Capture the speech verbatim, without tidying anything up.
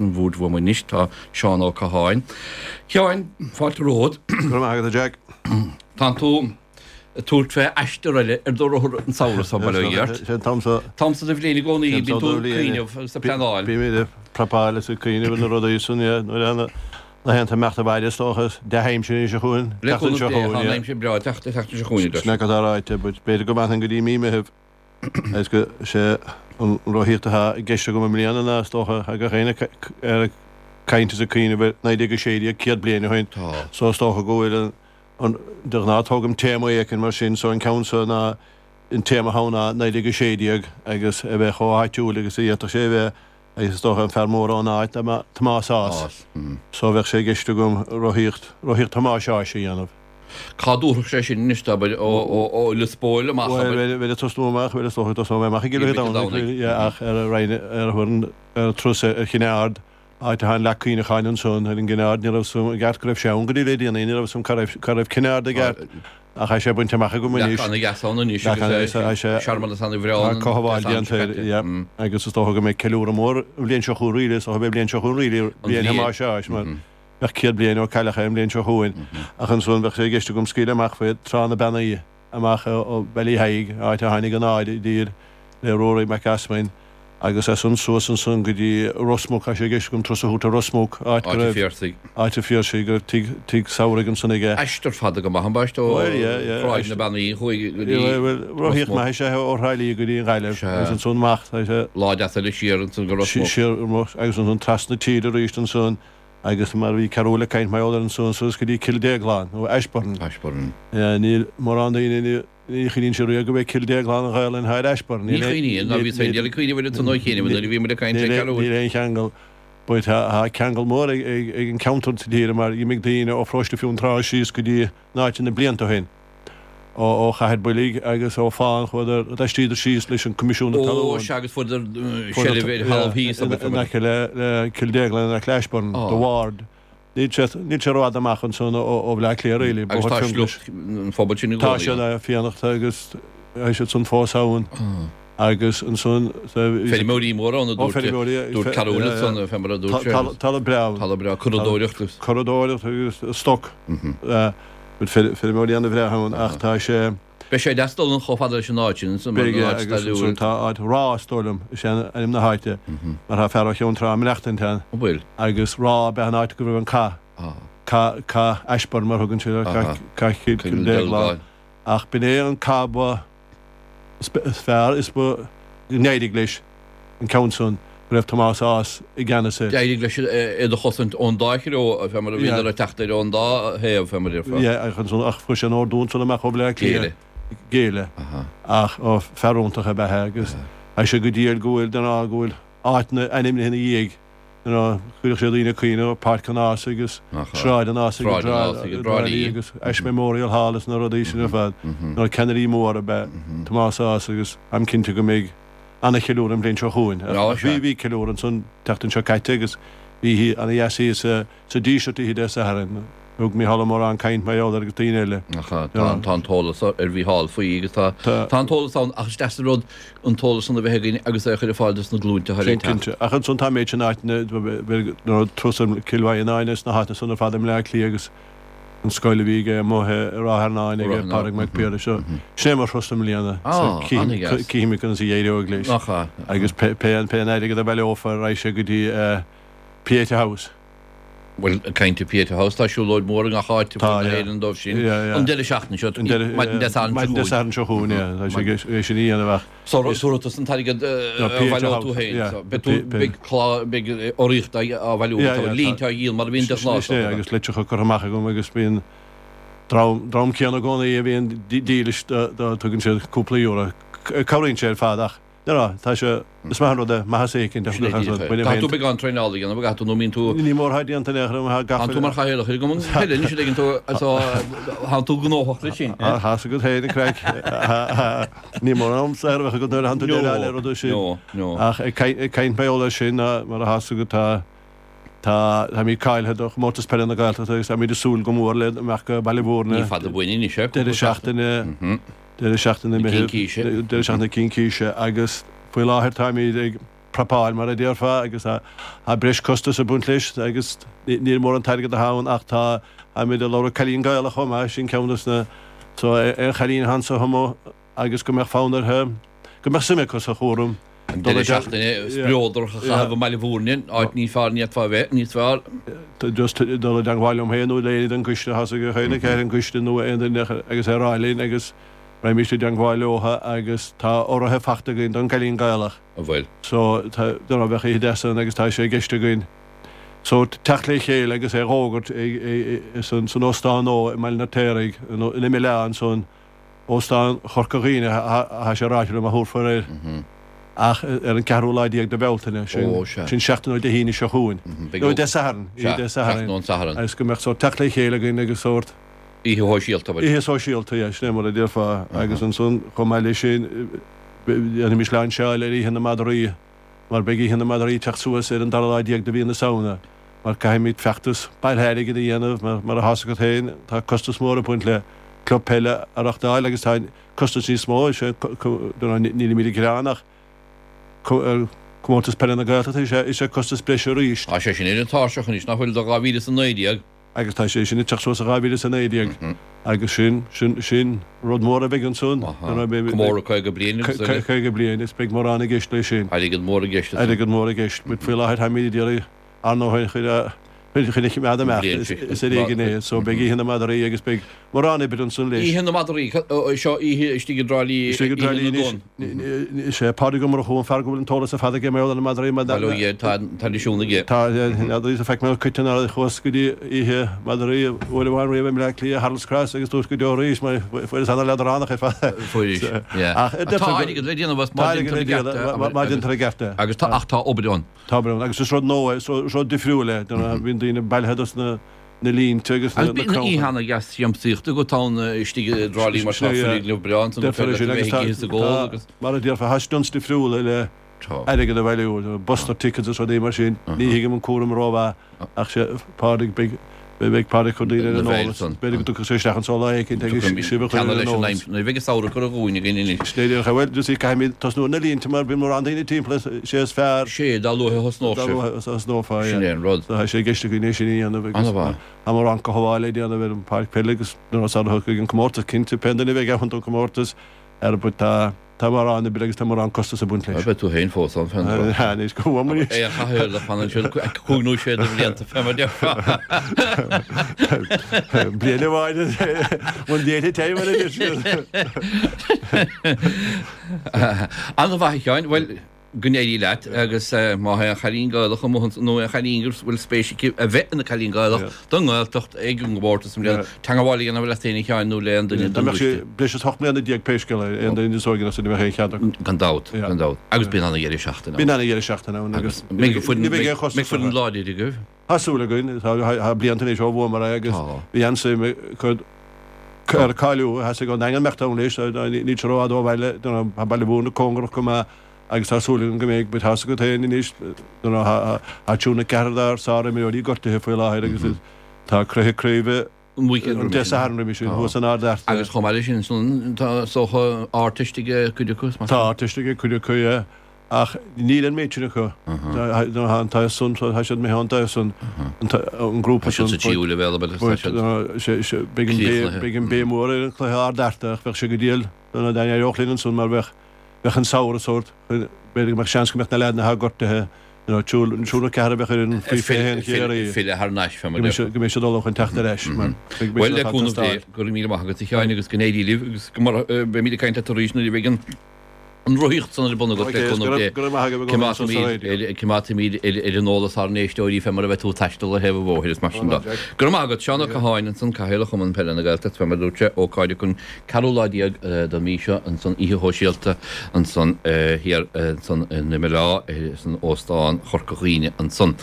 An bhfuaid uaim anois tá Seán Ó Catháin. Sheáin, fáilte romhat. Go raibh maith agat, a Jack. Tánn tú ag tabhairt fé aistear eile ar do rothar an samhradh seo, bail ó Dhia ort. Sé an t-am seo. T-am seo de bhliain i gcónaí, bíonn tú ag cuimhneamh agus ag pleanáil. Bímid ag prapáil is ag cuimhneamh ar na rudaí san, yeah, nuair a na laethanta imeacht abhaile is dócha, is dea-aimsir anois seo chugainn, Le cúnamh Dé, tá an aimsir breá ag teacht an tseachtain seo chugainn, a deir. Sin é cad tá ráite, but b'fhéidir go bhfanfainn go dtí mí Meithimh. Is go sé an rothaíocht atá i gceist agam i mbliana ná is dócha tá gach éinne ag caint is ag cuimhneamh ar naoi déag a sé déag, céad bliain ó shin. So is dócha go bhfuil an, de ghnáth tógaim téama éicint mar sin, so an ceann seo ná, an téama atá ann ná naoi déag a sé déag agus a bheith chomh háitiúil agus a d'fhéadfadh sé a bheith agus is dócha an fear mór ón áit ná Tomás Ághas. So bheadh sé i gceist agam rothaíocht, rothaíocht Thomáis Ághais a dhéanamh. Cá dtabharfadh sé sin anois, abair, ó Lios Póil amach, abair? Bhuel, bheinn ag tosnú amach, bhuel, is dócha, tosnóidh mé amach i gCill Mhic Domhnaigh, yeah, ach ar ar ar ar an turas ar Chinn Aird, áit atá an leac cuimhneacháin ansan ar an gCinn Aird, ní raibh 'fhios a'm i gceart go raibh sé ann go dtí le déanaí, ní raibh 'fhios a'm cá raibh, cá raibh Cinn Aird i gceart, ach tá sé bainte amach agam anois. Leac ana-dheas ann anois agus searmanas ana-bhreá ann. Tá cothabháil déanta air, yeah, agus is dócha go mbeidh ceiliúradh mór an bhliain seo chugainn really, is dócha beidh an bhliain seo chugainn really, bliain Thomáis Ághais, mar. Bheadh céad bliain ó cailleadh é an bhliain seo chugainn, ach ansan bheadh sé i gceist agam scaoileadh amach faoi Trá na Beannaí, amach ó Ballyheigue, áit a tháinig an ád i dtír le Ruairí Mac Easmainn, agus as san suas ansan go dtí Ros Muc, tá sé i gceist agam turas a thabhairt ar Ros Muc, áit go raibh, Áit an Phiarsaigh, go raibh tigh, tigh samhraidh ansan aige. Aistear fada go maith ambaiste ó Thráigh na Beannaí chuaigh go dtí Ros Muc. Rothaíocht maith is ea ó Thrá Lí go dtí an Ghaillimh, agus ansan amach, tá sé. Lá deas eile siar ansan go Ros Muc. Siar, agus ansan trasna tíre arís ansan. Agus mar a bhí Cearúll ag caint mar gheall air ansan suas go dtí Cill Déaglán, nó Ashbourne. Ashbourne. Níl mórán daoine, ní chuimhníonn siad riamh go b'é Cill Déaglán an Ghaelainn atá ar Ashbourne. Ní chuimhníonn, ná bhíos féin ag cuimhneamh air ansan ó chianaibh nuair a bhí muid ag caint le Cearúll. Níl aon cheangal. But tá ceangal mór ag an ceantar sa tír mar dh'imigh daoine ó Pharóiste Fionntrá síos go dtí an áit na blianta ó shin. ó Chathair Boilg agus ó Fán chuadar, d'aistríodar síos leis an Coimisiún na Talún. Ó sea, agus fuaireadar seilbh ar thalamh thíos, abair. In aice le Cill Déagláin, in aice le Ashbourne, The Ward. Níl sé, níl sé rófhada amach ansan ó Bhleá Cliath really. Agus tá sliocht an phobail sin i gcónaí ann. Tá siad, Fiannachta agus tá siad san fós ann. Agus ansan. Feirmeoirí móra ann a dúirt, dúirt Cearúll ansan, fé mar a dúirt sé. Talamh breá ann. Talamh breá, curadóireacht agus. Curadóireacht agus stoc. Bhfuil feirmeoirí ana-bhreá ann ach tá sé. Beidh sé deas dul chomh fada leis an áit sin ansan mar an áit stairiúil. Beidh, agus ansan tá áit Ráth is dóigh liom, is é ainm na háite, mar tá fear ó Cheann Trá ag maireachtaint ann. An bhfuil? Agus Ráth ab ea an áit go raibh an cath, cath, cath Ashbourne mar a thugann siad air, cath Chill Déagláin. Ach b'in é an cath ba. is fearr is ba n-éirigh leis an ceann san go raibh Tomás Ághas i gceannas air. D'éirigh leis iad a chosaint ón dá threo, fé mar a bhíodar ag teacht air ón dá thaobh, fé mar a déarfá. Yeah, ach ansan, ach fuair sé an ordú ansan amach ó Bhleá Cliath. Géilleadh. Ach, ó, fear iontach ab ea é agus tá sé go diail go bhfuil, den fháth go bhfuil áiteanna ainmnithe ina dhiaidh. You know, chuirfeadh sé daoine ag cuimhneamh ar Páirc an Ághasaigh agus Sráid an Ághasaigh i dTrá Lí agus Ashe Memorial Hall is na rudaí sin ar fad. You know, ceannairí mór ab ea Tomás Ághas agus táim cinnte go mbeidh ana-cheiliúradh an bhliain seo chugainn. Bhí, bhí ceiliúradh ansan an tseachtain seo caite agus bhí ana-dheas thíos sa Díseart oíche Dé Sathairn. Thug Mícheál Ó Móráin caint mar gheall air agus daoine eile. Ach tá, tá an t-eolas ar Mhícheál faoi agus tá, tá an t-eolas ann ach is deas an rud an t-eolas san a bheith againn agus é a chur ar fáil dos na glúinte atá le Sin teacht. cinnte. Ach ansan tá an méid sin áiteanna, nuair turas ar Cill Mhaighneáin agus na háiteanna san ar fad i mBleá Cliath agus an scoil a bhí aige amuigh i Ráth Fearnáin aige Pádraig Mac Piarais. So sin é mo thuras i mbliana. Ah, an-dheas. Cífimid conas a éireoidh leis. Nach ea. Agus pé pé an airgead a bhaileofar raghaidh sé go dtí Pieta House. Bhuel, ag caint ar Pieta House, tá siúlóid mhór i ngach áit ar fud na hÉireann dóibh sin. An deireadh seachtaine seo, maidin Dé Sathairn seo chugainn. Maidin Dé Sathairn seo chugainn, yeah. Tá sé é sin a dhéanamh ach. So, tabharfaidh tusa an t-airgead a bhaileoidh tú féin. Beidh tú, beidh clár, beidh urraíocht á bhailiú agat, línte á dhíol mar a bhíonn de ghnáth. Sin é, agus litreacha curtha amach agam agus bíonn dream, dream céanna i gcónaí a bhíonn dílis do, tugann siad cúpla euro. Cabhraíonn sé ar fad ach. No, tá sé, is maith an rud é, maitheas éicint a Sin é díreach é. Caithfidh tú beagán traenála a dhéanamh, an gcaithfidh tú, nó an mbíonn tú. Ní mór atá déanta in aon chor, tá gach. Tánn tú mar chathaoirleach ar an gcumann peile anois, an dtuigeann tú, so tánn tú gnóthach leis sin. Tá a fhios agat féin an craic. Ní mór am saor a bheith agat nuair a thánn tú ag déileáil le rudaí sin. No, no. Ach ag caint mar gheall air sin, mar atá a fhios agat, tá, tá, táimid cáilithe do Chomórtas Peile na Gaeltachta agus táimid ag súil go mór le imeacht go Baile Bhúirne. Ní fada uainn anois é, cúpla seachtain. Deireadh seachtaine. Deireadh seachtaine Meitheamh, deireadh seachtaine Cincíse agus faoi láthair táimid ag prapáil mar a déarfá agus tá breis costas ag baint leis agus níl mórán airgead atá ann ach tá táimid ag lorg cailín Gaelach chomh maith, sin ceann dos na so aon chailín atá anso amuigh agus go mbeadh fonn uirthi, go mbeadh suim acu sa chúram. An deireadh seachtaine spleodrach a chaitheamh i mBaile Bhúirne, áit níos fearr ní fhéadfá a bheith níos fearr. Just dul i dteangmháil liom féin nó le éinne den gcoiste, tá a fhios ag gach éinne ar an gcoiste nó aon duine agus é a rá linn agus raghaimís i dteangmháil leotha agus tá urraithe fachta againn don gcailín Gaelach. An bhfuil? So tá, don't know, bheadh oíche deas ann agus tá sé i gceist againn so teacht le chéile agus é a dh'fhógairt ag, san, san óstán nua i mBaile an Fheirtéaraigh, in Imeall Átha ansan, Óstán Chorca Dhuibhne atá sé ráite liom a thabharfar air ach ar an ceathrú lá déag de Bhealtaine, sin, Ó, sea. sin seachtain ó Dé hAoine seo chugainn. Beidh Nó ó, Dé Sathairn, oíche sea, Dé seachtain Sathairn ón Satharn. agus go mbeadh sórt teacht le chéile againn agus sórt, Oíche shóisialta, bhuel. Oíche shóisialta, yeah, sin é mar a déarfá. Agus ansan, chomh maith leis sin, déanfaimis lainseáil ar Oíche na Madraí, mar beidh Oíche na Madraí ag teacht suas ar an dara lá déag de mhí na Samhna, mar caithfimid feachtas bailithe airgid a dhéanamh, mar, mar atá a fhios agat féin, tá costas mór ag baint le club peile a reachtáil agus tá costas níos mó, is é, nílimid ag gearán ach Comórtas Peile na Gaeltachta, is é, is é costas breise arís. Tá sé sin ar an tairseach anois, nach bhfuil, do dhá mhíle is a naoi déag? Agus tá sé sin ag teacht suas i dhá mhíle is a naoi déag agus sin, sin, sin rud mór a bheidh ansan. Comóradh caoga bliain agus eile. Caoga bliain, is beidh mórán i gceist leis sin. Airgead mór i gceist ansan. Airgead mór i gceist. But faoi láthair táimid ag iarraidh ár ndóthain chun a, chun a choimeád amach, is ar éigean é. So beidh Oíche na Madraí agus beidh mórán oibre ansan leis. Oíche na Madraí, seo oíche istigh i dTrá Lí, Istigh i dTrá Oíche Lí na anois. dTonn. Is é Pádraig Ó Murchú an fear go bhfuil an t-eolas ar fad aige mar gheall ar na madraí mar Bail ó Dhia air, tá an traidisiún aige. Tá, n'fheadar, is feic mé coiteann ar chuas go dtí oíche madraí uair amháin riamh i mBleá Cliath, Harold's Cross agus dúirt go deo arís mar fuaireas ana-leadránach ar fad. Fuairis, yeah. Ach Tá airgead le déanamh as Tá má airgead déantar le i gceart é, déanamh má déantar i gceart é. Agus tá, ach tá obair ann. Tá obair ann agus is rud nua é, is rud difriúil é. Bíonn daoine bailithe dos na na línte agus Agus na bíonn oíche cranncha. ana-dheas siamsaíochta agat ann istigh i dTrá Lí mar tá foirgneamh breá ansan gur Deirtear féidir é sin leat a agus bheith ag ithe is ag ól tá, agus. mar a déarfá, tá stunts difriúla le Tá. airgead a bhailiú, buster tickets is rudaí mar sin. Ní thuigim an cúram rómhaith ach sé Pádraig, beidh, beidh Pádraig ag cur daoine ar Na an bhfeidhm eolas. san. B'fhéidir go dtiocfadh sé isteach anso lá éicint agus sibh a chur Ceanna ar an leis an eolas. aimsir. Nuair a bheidh an samhradh curtha dhúinn againn anois. Sin é díreach é. Bhuel, you see, caithfimid tosnú ar na línte mar bíonn mórán daoine timpeall, is é is fearr. Sé, dá luaithe a thosnódh Dá sibh. luaithe a thosnófá, Sin yeah. é an rud. So tá sé i gceist againn é sin a dhéanamh agus An-mhaith. tá mórán cothabháil le déanamh ar an pháirc peile agus nuair a thiocfaidh an comórtas, cinnte, pé duine a bheidh ann don chomórtas, ar but tá tá mórán oibre agus tá mórán costas ag baint leis. Beidh tú féin fós ann fén dtráth. Ha, anois go bhfuil muid. É a chathaoirleach fan ansin cúig nó sé de bhlianta fé mar déarfá. Bliain amháin one day at a time mar a deir siad. An-mhaith a Sheáin, bhuel go n-éirí leat agus má tá aon chailín Gaelach amuigh ansin nó aon chailín go bhfuil spéis aici a bheith ina cailín Gaelach don nGaeltacht ag an gcomórtas i mbliana, teagmháil a dhéanamh leat féin a Sheáin nó le aon duine Dá den mbeadh sé gcoiste. breis is ocht mbliana déag pé scéal é, aon duine níos óige ná sin ní bheadh aon chead acu. Gan dabht, gan dabht. Agus bíonn ana-dheireadh seachtaine ann. Bíonn ana-dheireadh seachtaine ann agus Agus mbeidh foireann, ní bheidh aon chostas mbeidh foireann orthu. láidir agaibh. Tá súil againn, tá blianta anois ó bhuamar é agus bhí an-suim acu ar cáiliú, theastaigh ón nDaingean imeacht ann leis, níl sé rófhada ó bhaile, tá Baile Bhúirne cóngarach go maith agus tá súil againn go mbeidh, but tá's agat féin anois, tá triúr nó ceathrar dár sárimreoirí gortaithe faoi láthair agus tá cluiche craoibhe An weekend an roimhe Dé sin. Sathairn roimhe sin thuas in Ard Fhearta. Agus chomh maith leis sin, san, tá is dócha Ardteist ag cuid acu, Tá Ardteist ag cuid acu, yeah. Ach níl an méid sin acu. Tá an taobh san, tá siad imithe ón taobh san, an grúpa Tá siad san. sa tríú leibhéal, ab ea? Tá siad Beidh an críochnaithe. beidh an béim mhór ar an chluiche Ard Fhearta ach bheadh sé go diail dá n-éireodh linn ansan mar bheadh bheadh an samhradh sórt, b'fhéidir go mbeadh seans go mbeadh na leaideanna atá gortaithe, you know, triúr triúr nó ceathrar a bheadh ar an faoi fiche a haon Chiarraí. Filleadh thar n-ais, fé mar Go mbeidh déarfá. siad go mbeidh siad ullamh chun teacht ar ais mar beidh Bhuel, siad le atá ag cúnamh Dé, teastáil. go raibh míle maith agat a Sheáin agus go n-éirí libh agus go mara beimid ag caint leat arís nuair a bheidh an an rothaíocht san ar bun agat le cúnamh Dé. Coimeádfaimid ar an eolas ár n-éisteoirí fé mar a bheidh tú ag taisteal ar thaobh an bhóthair is mar sin de. Go raibh maith agat, Seán Ó Catháin ansan, Cathaoirleach Chumann Peile na Gaeltachta, fé mar a dúirt sé, ócáid acu an ceathrú lá déag den mhí seo ansan, oíche shóisialta ansan thiar ansan in Imeall Átha san Óstán Chorca Dhuibhne ansan.